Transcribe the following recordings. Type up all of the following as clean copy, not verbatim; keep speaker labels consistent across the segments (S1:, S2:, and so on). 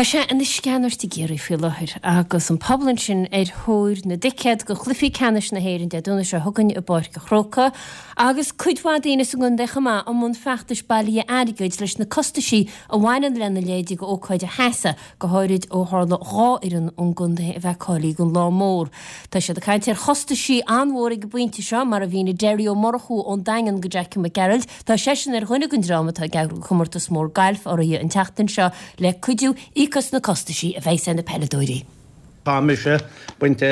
S1: Tá sé ina sceanairt i gCiarraí faoi láthair agus an pobal ansin ar thóir na dticéad do chluichí ceannais na hÉireann Dé Domhnaigh seo chugainn i bPáirc an Chrócaigh agus cuid mhaith daoine sa gcontae chomh maith i mbun feachtais bailithe airgid leis na costaisí a bhaineann lena leithéid de ócáid a sheasamh, go háirid ó tharla 2 fhoireann ón gcontae a bheith cáilithe don lá mór. Tá siad ag caint ar chostaisí an-mhór ag an bpointe seo, mar a mhínigh Derry Ó Murchú ón Daingean go Jackie Mac Gearailt. Tá seisean ar dhuine den dream atá ag eagrú comórtas mór gailf urraithe an tseachtain seo le cuidiú íoc as na costaisí a bheidhs ar na peileadóirí.
S2: Tá mise bainte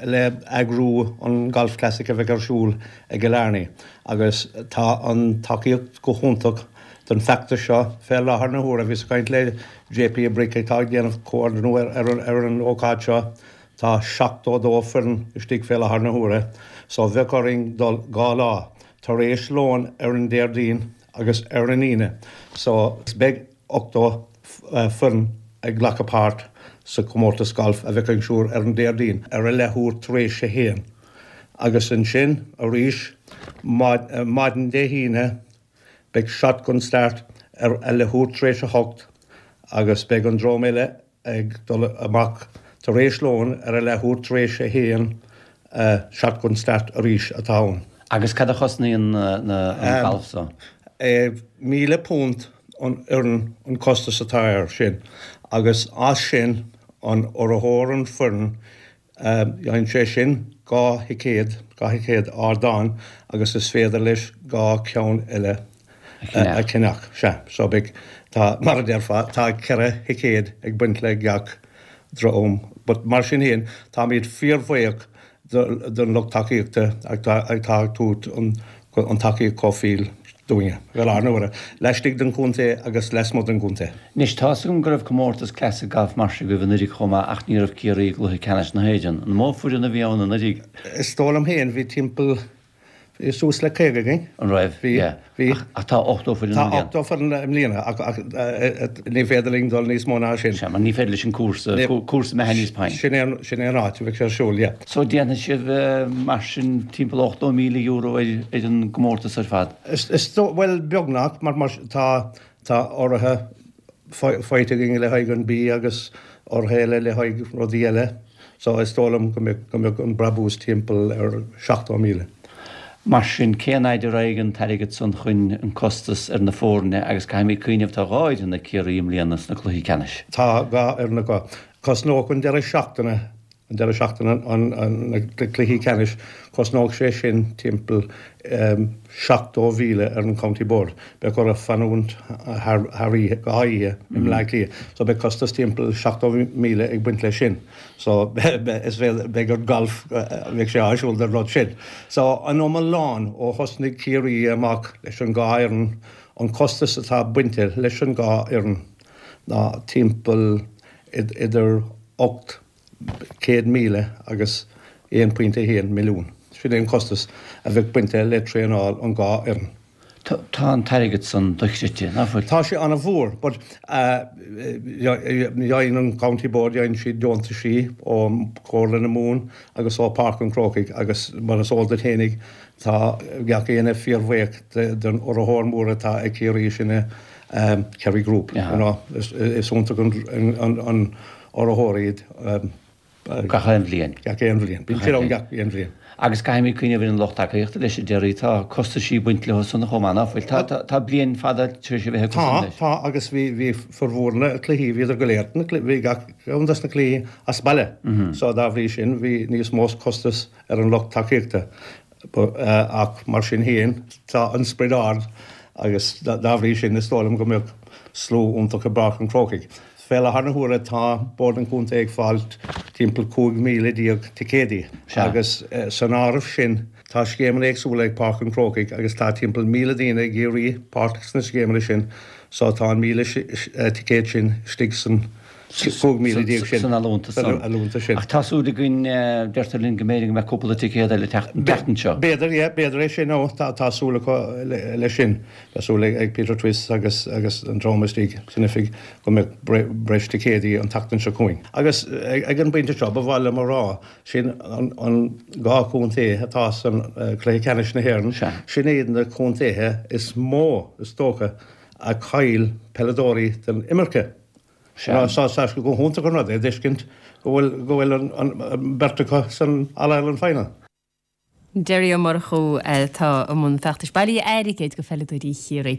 S2: le eagrú an Golf Classic a bheidh ar siúl i gCill Airne agus tá an tacaíocht go hiontach don feachtas seo fé láthair na huaire. Bhíos ag caint le JP Brick atá ag déanamh comhordnú ar an ócáid seo. Tá 72 foireann istigh fé láthair na huaire so bheadh orainn dul 2 lá tar éis lóin ar an Déardaoin agus ar an Aoine so beidh 80 foireann ag glacadh páirt sa chomórtas gailf a bheidh ar siúl ar an Déardaoin ar a leathuair tar éis a haon agus ansin arís maidin Dé hAoine beidh shotgun start ar a leathuair tar éis a hocht agus beidh an dream eile ag dul amach tar éis lóin ar a leathuair tar éis a haon, shotgun start arís atá ann.
S3: Agus cad a chosnaíonn an galf so?
S2: £1,000 an fhoireann an costas atá air sin agus as sin an urraitheoir an foireann Gheibheann sé sin 2 thicéad, 2 thicéad ardáin agus is féidir leis 2 ceann eile a cheannach. Sea, so beidh, tá, mar a déarfá, tá 4 thicéad ag baint le gach dream. But mar sin féin, táimid fíorbhuíoch don lucht tacaíochta atá ag tabhairt an tacaíocht chomh fial dúinne, i láthair na huaire, laistigh den chontae agus lasmuigh den
S3: gcontae. Anois, tá's agam go raibh comórtas Classic Golf mar seo agaibh anuraidh chomh maith ach ní raibh Ciarraí i gcluiche ceannais na hÉireann. An mó foireann a bhí ann
S2: anuraidh? Is dóigh liom féin, bhí timpeall, bhí suas le 50 againn.
S3: An raibh?
S2: Bhí,
S3: yeah. Bhí. Ach tá 80
S2: foireann i mbliana. Tá 80 foireann i mbliana ach ní féidir linn dul níos mó ná
S3: sin. Sea, mar ní féidir leis an cúrsa, cúrsa Mahoney's Point.
S2: Sin é sin é an áit a bheidh sé ar siúl, yeah.
S3: So déanfaidh sibh mar sin timpeall €80,000 ar an gcomórtas ar fad?
S2: Is dóigh, bhuel beagnach, mar mar tá tá urraithe faighte againn le haghaidh an bia agus urraithe eile le haghaidh rudaí eile. So is dóigh liom go mbeadh go mbeadh an brabús timpeall ar 70,000.
S3: Mar sin, cén fhaid a raghaidh an t-airgead san chun an costas ar na foirne agus caithfimid cuimhneamh tá 2 fhoireann ag Ciarraí i mbliana sna cluichí ceannais.
S2: Tá 2 fhoireann acu. Cosnóidh an deireadh seachtaine an deireadh seachtaine na cluichí ceannais, cosnóidh sé sin timpeall 70,000 ar an County Board. Beidh orthu fanúint thar oíche, 2 oíche i mBleá Cliath. So beidh costas timpeall 70,000 ag baint leis sin. So is féidir, beidh an golf, beidh sé áisiúil don rud sin. So an iomlán ó thosnaigh Ciarraí amach leis an 2 fhoireann, an costas atá bainte leis an 2 fhoireann ná timpeall idir 800,000 agus 1.1 milliún. Sin é an costas a bheadh bainte le traenáil an 2 fhoireann.
S3: Tá an t-airgead san dochreidte, ná
S2: fuil? Tá sé an-mhór, but gheibheann an County Board, gheibheann siad deontaisí ó Chomhairle na Mumhan agus ó Páirc an Chrócaigh agus mar is eol duit fhéinig, tá gach éinne fíorbhuíoch den urraitheoir mór atá ag Ciarraí, sin é Kerry Group, you know, is iontach an urraitheoir iad.
S3: Gach aon bhliain.
S2: Gach aon bhliain. Bíonn siad ann gach aon bhliain.
S3: Agus caithfimid cuimhneamh ar an lucht tacaíochta leis a Derry. Tá costaisí ag baint leo san chomh maith, ná fuil? Tá, tá bliain fada tar éis a bheith
S2: acu san leis. Tá, tá agus bhí, bhí formhór na cluichí, bhíodar go léir, na bhí gach ceann des na cluichí as baile. So dá bhrí sin bhí níos mó costas ar an lucht tacaíochta. Ach mar sin féin tá an sprid ard agus dá bhrí sin is dóigh liom go mbeadh slua iontach i bPáirc an Chrócaigh. Fé láthair na huaire tá Bord an Chontae ag fáil timpeall 15,000 ticéadaí agus san áireamh sin tá scéimeanna éagsúla ag Páirc an Chrócaigh agus tá timpeall 1,000 daoine ag iarraidh páirt sna scéimeanna sin so tá an 1,000 ticéad sin istigh san 15,000 sin.
S3: San allúntas
S2: san. Allúntas sin.
S3: Ach tá súil againn, deirtear linn go mb'fhéidir go mbeadh cúpla ticéad eile teacht an tseachtain seo.
S2: B'fhéidir, yeah, b'fhéidir é sin, ó, tá, tá súil acu leis sin. Tá súil ag Peter Twiss agus, agus an dream istigh san oifig go mbeadh breis ticéadaí an tseachtain seo chugainn. Agus ag an bpointe seo, ba mhaith liom a rá, sin an, an 2 chontae atá san cluiche ceannais na hÉireann, sin iad na contaetha is mó, is dócha, a chaill peileadóirí den imirce. Sea. Tá sé go hiontach an rud é a d'fheiscint go bhfuil go bhfuil an beirt acu san All-Ireland Final.
S1: Derry Ó Murchú atá i mbun feachtais bailithe airgid do pheileadóirí Chiarraí.